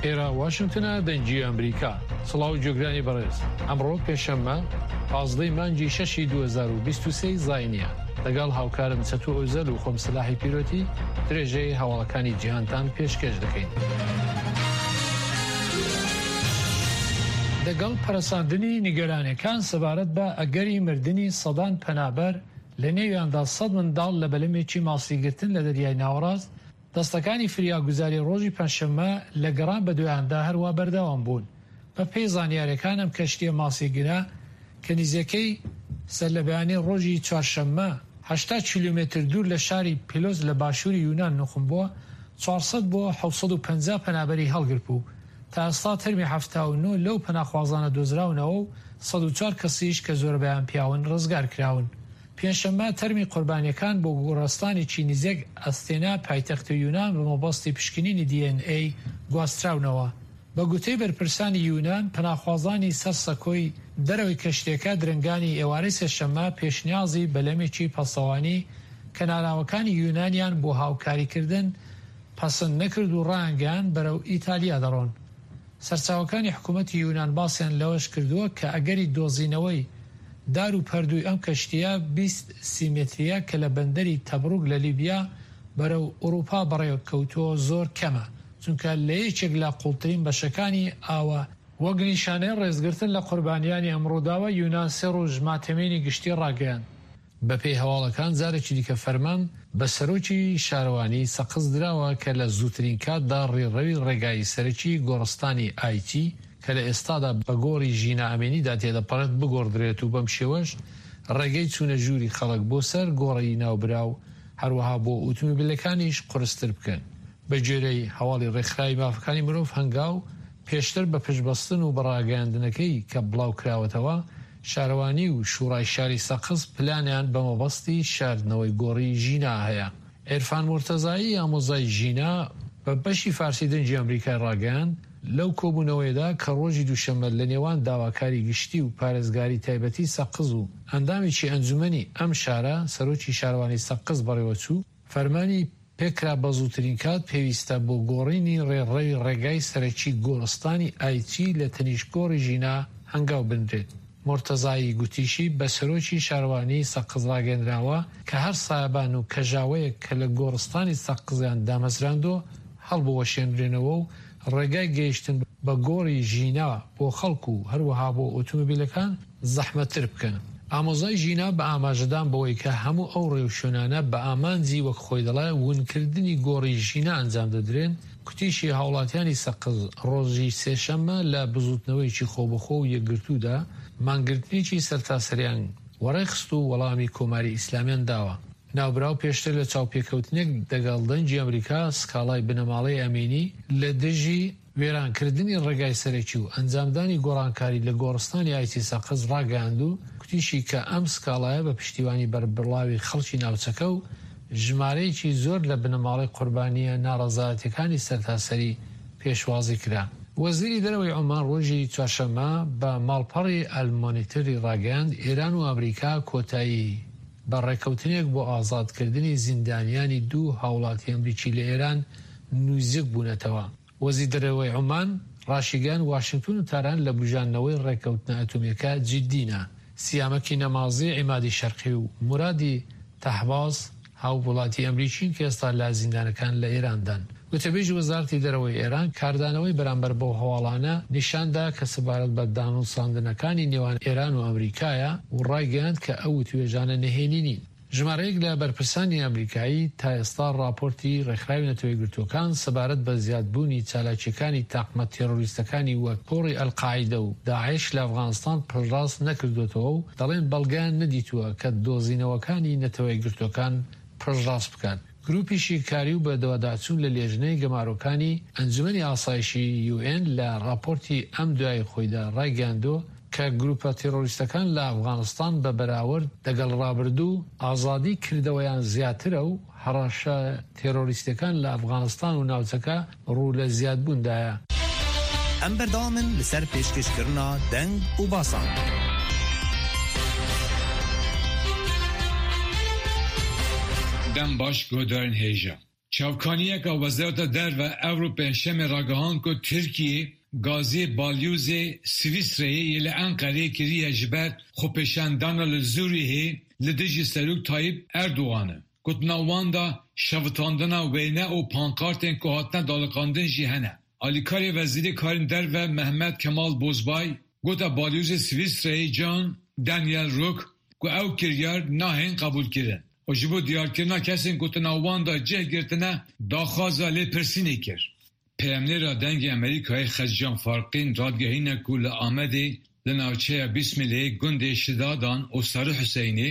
ئێرە واشنتنە دەنگی ئەمریکا. سڵاو گوێگرانی بەڕێز. ئەمڕۆ پێشەممە پازدەی مانگی شەشی 2023 زاینیە. لەگەڵ هاوکارم چەتو ئۆزەل و خۆم سەلاحی پیرۆتی درێژەی هەواڵەکانی جیهانتان پێشکێش دەکەین. دەگەڵ پەرەساندنی نیگەرانیەکان سەبارەت بە ئەگەری مردنی سەدان پەنابەر لە نێویاندا سەد منداڵ لە بەلەمێکی ماسیگرتن لە دەریای ناوەڕاست، دەستەکانی فریاگوزاری ڕۆژی پەنجشەممە لە گەڕان بەدوایاندا هەروا بەردەوام بوون. بە پێی زانیاریەکان ئەم کەشتیە ماسیگرە کە نیزیکەی سەرلەبەیانی ڕۆژی چوارشەممە 80 کیلۆمەتر دوور لە شاری پیلۆس لە باشووری یونان نوقم بووە، 400 بۆ 750 پەنابەری هەڵگرتبوو. تا ئێستا تەرمی 79 لەو پەناخوازانە دۆزراونەوە و 104 کەسیش کە زۆربەیان پیاون ڕزگار کراون. پێنجشەممە تەرمی قوربانییەکان بۆ گۆڕستانێکی نزیک ئەستێنا پایتەختی یونان بە مەبەستی پشکنینی دی ئێن ئەی گواستراونەوە. بە گوتەی بەرپرسانی یونان، پەناخوازانی سەر سەکۆی دەرەوەی کەشتییەکە درەنگانی ئێوارەی سێشەممە پێشنیازی بەلەمێکی پاسەوانی کەناراوەکانی یونانیان بۆ هاوکاریکردن پەسند نەکرد و ڕایانگەیاند بەرەو ئیتالیا دەڕۆن. سەرچاوەکانی حکوومەتی یونان باسیان لەوەش کردووە کە ئەگەری دۆزینەوەی دار و پەردووی ئەم کەشتییە 20 سی مەترییە کە لە بەندەری تەبروک لە لیبیا بەرەو ئورووپا بەڕێکەوتووە زۆر کەمە چونکە لە یەکێک لە قووڵترین بەشەکانی ئاوە وەک نیشانەی ڕێزگرتن لە قوربانیانی ئەم ڕووداوە یونان سێ ڕۆژ ماتەمینی گشتی ڕاگەیاند. بەپێی هەواڵەکان جارێکی دیکە فەرمان بە سەرۆکی شارەوانیی سەقز دراوە کە لە زووترین کاتدا ڕێڕەوی ڕێگای سەرەکی گۆڕستانی ئایتی کە لە ئێستادا بە گۆڕی ژینا ئەمینیدا تێدەپەڕێت بگۆڕدرێت و بەم شێوەش ڕێگەی چوونە ژووری خەڵک بۆ سەر گۆڕی ناوبراو هەروەها بۆ ئوتومبیلەکانیش قورستر بکەن. بەگوێرەی هەواڵی ڕێکخراوی مافەکانی مرۆڤ هەنگاو، پێشتر بە پشتبەستن و بە ڕاگەیاندنەکەی کە بڵاوکراوەتەوە، شارەوانی و شوڕای شاری سەقز پلانیان بە مەبەستی شاردنەوەی گۆڕی ژینا هەیە. عێرفان مورتەزایی ئامۆزای ژینا بە بەشی فارسی دەنگی ئەمریکای ڕاگەیاند، لەو کۆبوونەوەیەدا کە ڕۆژی دووشەممە لە نێوان داواکاری گشتی و پارێزگاری تایبەتی سەقز و ئەندامێکی ئەنجومەنی ئەم شارە، سەرۆکی شارەوانی سەقز بەڕێوەچوو، فەرمانی پێکرا بەزووترین کات پێویستە بۆ گۆڕینی ڕێڕەوی ڕێگای سەرەکی گۆڕستانی ئایچی لە تەنیشت گۆڕی ژینا هەنگاو بنرێت. مورتەزایی گوتیشی، بە سەرۆکی شارەوانیی سەقز ڕاگەیەنراوە کە هەر سایەبان و کەژاوەیەک کە لە گۆڕستانی سەقزیان دامەزراندووە هەڵبوەشێنرێنەوە و ڕێگای گەیشتن بە گۆڕی ژینا بۆ خەڵک و هەروەها بۆ ئۆتۆمۆبیلەکان زەحمەتتر بکەن. ئامۆزای ژینا بە ئاماژەدان بەوەی کە هەموو ئەو ڕێوشوێنانە بە ئامانجی وەک خۆی دەڵێ ونکردنی گۆڕی ژینا ئەنجام دەدرێن، کوتیشی هاوڵاتیانی سەقز ڕۆژی سێشەممە لە بزووتنەوەیەکی خۆبەخۆ و یەکگرتوودا مانگرتنێکی سەرتاسەریان وەڕێخست و وەڵامی کۆماری ئیسلامیان داوە. ناوبراو پێشتر لە چاوپێکەوتنێک دەگەڵ دەنگی ئەمریکا سکاڵای بنەماڵەی ئەمینی لە دژی وێرانکردنی ڕێگای سەرەکی و ئەنجامدانی گۆڕانکاری لە گۆڕستانی ئایتی سەقز ڕاگەیاند و کوتیشی کە ئەم سکاڵایە بە پشتیوانی بەربڵاوی خەڵکی ناوچەکە و ژمارەیەکی زۆر لە بنەماڵەی قوربانییە ناڕەزایەتیەکانی سەرتاسەری پێشوازی کرا. وەزیری دەرەوەی عومان ڕۆژی چوارشەممە بە ماڵپەڕی ئەلمۆنیتەری ڕاگەیاند، ئێران و ئەمریکا کۆتایی بە ڕێککەوتنێک بۆ ئازادکردنی زیندانیانی دوو هاوڵاتی ئەمریکی لە ئێران نزیک بوونەتەوە. وەزیر دەرەوەی عومان ڕاشیگەیاند، واشنتن و تاران لە بوژاندنەوەی ڕێککەوتنە ئەتۆمییەکە جیددینە. سیامەکی نەمازی، عیمادی شەرقی و مورادی تەهباز هاووڵاتی ئەمریکین کە ئێستا لە زیندانەکان لە ئێراندان. گوتەبێژی وەزارەتی دەرەوەی ئێران کاردانەوەی بەرامبەر بەو هەواڵانە نیشان دا کە سەبارەت بە دانوساندنەکانی نێوان ئێران و ئەمریکایە و ڕایگەیاند کە ئەو وتوێژانە نهێنی نین. ژمارەیەک لە بەرپرسانی ئەمریکایی تا ئێستا ڕاپۆرتی ڕێکخراوی نەتەوەیەکگرتووەکان سەبارەت بە زیادبوونی چالاکییەکانی تاقمە تێرۆریستەکانی وەک تۆڕی ئەلقاعیدە و داعش لە ئەفغانستان پشتڕاست نەکردووەتەوە و دەڵێن بەڵگەیان نەدیتووە کە دۆزینەوەکانی نەتەوەیەکگرتووەکان پشتڕاست بکات. گروپی شیکاری و بەدواداچوون لە لێژنەی گەمارۆکانی ئەنجومەنی ئاسایشی یوئێن لە ڕاپۆرتی ئەم دوایی خۆیدا ڕایگەیاندووە کە گروپە تێڕۆریستەکان لە ئەفغانستان بە بەراورد دەگەڵ ڕابردوو ئازادی کردەوەیان زیاترە و هەڕەشە تێڕۆریستیەکان لە ئەفغانستان و ناوچەکە ڕوو لە زیادبوون دایە. ئەم بەردەوامن لەسەر پێشکەشکردنا دەنگ و باسان. دەم باش گۆدارن هێژا. Çavkaniyeka Wezareta Derve evro Pêncşemê ragihand ku Tirkiyê gazê balyozê Swîsreyê yê li Enqereyê kiriye ji ber xwepêşandana li Zurihê li dijî Serok Tayyip Erdogan e. Gotina wan de şewitandina wêne û pankartên ku hatine daliqandin jî hene. Alîkarê Wezîrê Karên Derve Mehmet Kemal Bozbay gote balyozê Swîsreyê Jean Daniel Rück ku ew kiryar nahên qebûlkirin û ji bo diyarkirina kesên ku di nav wan de cih girtine daxwaza lêpirsînê kir. Peyamnêra Dengê Amerîkayê Xeccan Farqîn radigihîne ku li Amedê li navçeya Bîsmilê gundê Şidadan û Sarıhüseynê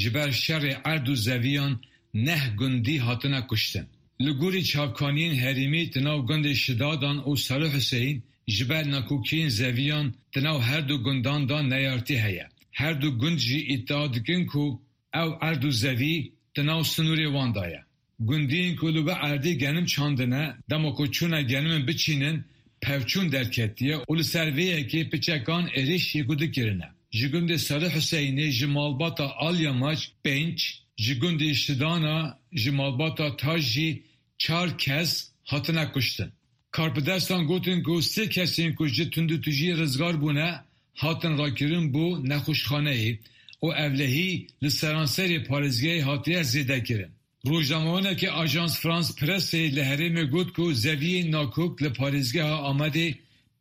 ji ber şerê erd û zeviyan neh gundî hatine kuştin. Li gorî çavkaniyên herêmî di nav gundê Şidadan û Sarıhüseyn ji ber nakokiyên zeviyan di nav her du gundan de neyartî heye. Her du gund jî îdia dikin ku ew erd û zevî di nav sinûrê wan de ye. Gundiyên ku li wê erdê genim çandine, dema ku çûne genimên biçînin, pevçûn derketiye û li ser vê yekê piçekan êrîş yekûdu kirine. Ji gundê Sarı Hüseynê ji malbata Alyamaç pênc, ji gundê Şidana ji malbata Taş jî çar kes hatine kuştin. Karpidestan gotin ku sê kesên ku ji tundûtûjiyê rizgar bûne hatin rakirin bo nexweşxaneyê û ewlehî li seranserê parêzgehê hatiye zêdekirin. Rojnamevanekî Ajans France Pressê li herêmê got ku zeviyên nakok li parêzgeha Amedê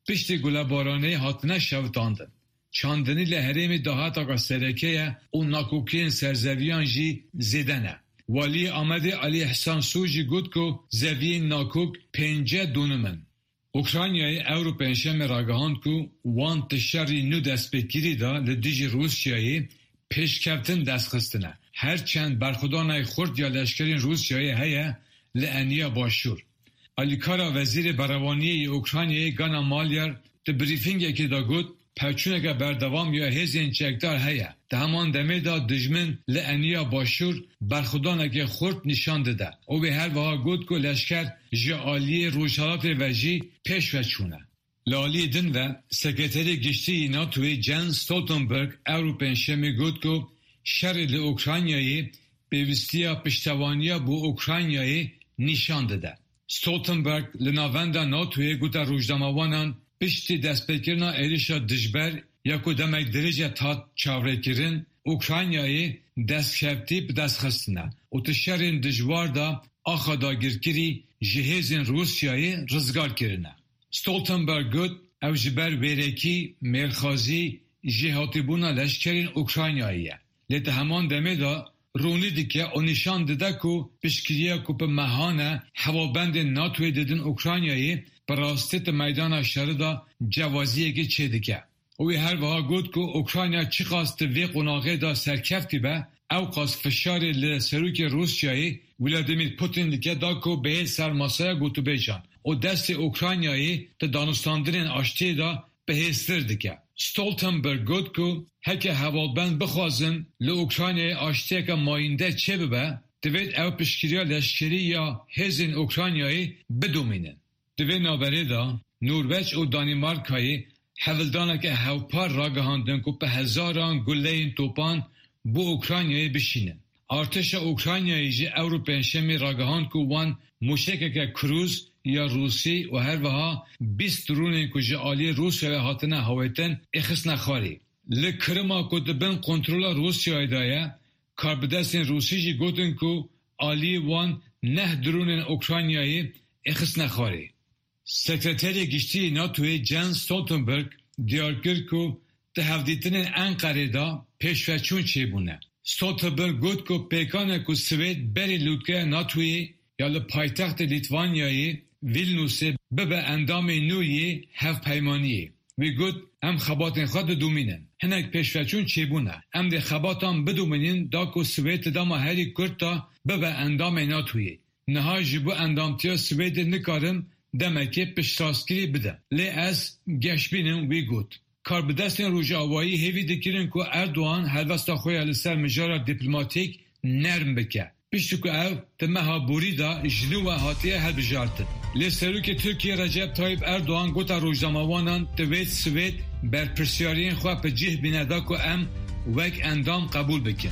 piştî gulebaranê hatine şewitandin. Çandinî li herêmê dahataka sereke ye û nakokiyên serzeviyan jî zêde ne. Waliyê Amedê Alî Îhsan Su jî got ku zeviyên nakok pênce donim in. Ukraynayê ewro Pêncşemê ragihand ku wan di şerî nû destpêkirî de li dijî Rûsyayê pêşkevtin dest xistine. Her çend berxwedaneke xurt ya leşkerên Rûsyayê heye li eniya başûr. Alîkara Wezîrê Berevaniyê yê Ukraynayê Gana Malyar di brîfîngekê de got, Pevçûneke berdewam ya hêzên çekdar heye. Di heman demê de dijmin li eniya başûr berxwedaneke xurt nîşan dide û wê her wiha got ku leşker ji aliyê rojhilatê ve jî pêş ve çûne. Li aliyê din ve Sekreterê Giştî yê NATO'yê Jens Stoltenberg ewro Pêncşemê got ku şerê li Ukraynayê pêwîstiya piştevaniya bo Ukraynayê nîşan dide. Stoltenberg li navenda NATO'yê gote rojnamevanan piştî destpêkirina êrişa dijber ya ku demek dirêj e hat çavrêkirin, Ukraynayê destkeftî bi dest xistine û di şerên dijwar de axa dagirkirî ji hêzên Rûsyayê rizgar kirine. Stoltenberg got ew ji ber wêrekî, mêrxazî, jêhatîbûna leşkerên Ukraynayê ye. Lê di heman demê de ronî dike û nîşan dide ku piştgiriya ku bi mehan e hevalbendên NATO'yê didin Ukraynayê bi rastî di meydana şerê de cewaziyekê çêdike. Û wî her wiha got ku Ukrayna çiqas di vê qonaxê de serkeftî be, ewqas fişarê li Serokê Rûsyayê Vladimir Putin dike da ku bihê ser masaya gotûbêjan û destê Ukraynayê di danûstandinên aştiyê de bihêztir dike. Stoltenberg got ku heke hevalbend bixwazin li Ukraynayê aştiyeke mayînde çêbibe, divêt ew piştgiriya leşkerî ya hêzên Ukraynayê bidomînin. Di vê navberê de Norweç û Danîmarkayê hewldaneke hevpar ragihandin ku bi hezaran guleyên topan bo Ukraynayê bişînin. Artêşa Ukraynayê jî ewro Pêncşemê ragihand ku wan mûşekeke krûz ya Rûsî û her wiha 20 dronên ku ji aliyê Rûsyayê hatine hawêtin êxistine xwarê. Li Kirima ku di bin kontrola Rûsyayê de ye, karbidestên Rûsî jî gotin ku aliyê wan neh dronên Ukraynayê êxistine xwarê. Sekreterê Giştî yê NATO'yê Jens Stoltenberg diyar kir ku di hevdîtinên Enqerê de pêşveçûn çêbûne. Stoltenberg got ku pêkan e ku Swêd berî lûtkeya NATO'yê ya li paytextê Lîtvanyayê Vilniusê bibe endamê nû yê hevpeymaniyê. Wî got, Em xebatên xwe didomînin. Hinek pêşveçûn çêbûne. Em dê xebatan bidomînin da ku Swêd di dema herî kurt de bibe endamê NATO'yê. Niha ji bo endamtiya Swêdê nikarim demekê piştrastkirî bidim. Lê ez geşbîn im, wî got. Karbidestên Rojavayî hêvî dikirin ku Erdogan helwesta xwe ya li ser mijara dîplomatîk nerm bike. Piştî ku ew di meha borî de ji nû ve hatiye hilbijartin. Lê Serokê Tirkiyê Recep Tayyip Erdogan gota rojnamevanan divêt Swêd berpirsyariyên xwe bi cih bîne da ku em wek endam qebûl bikin.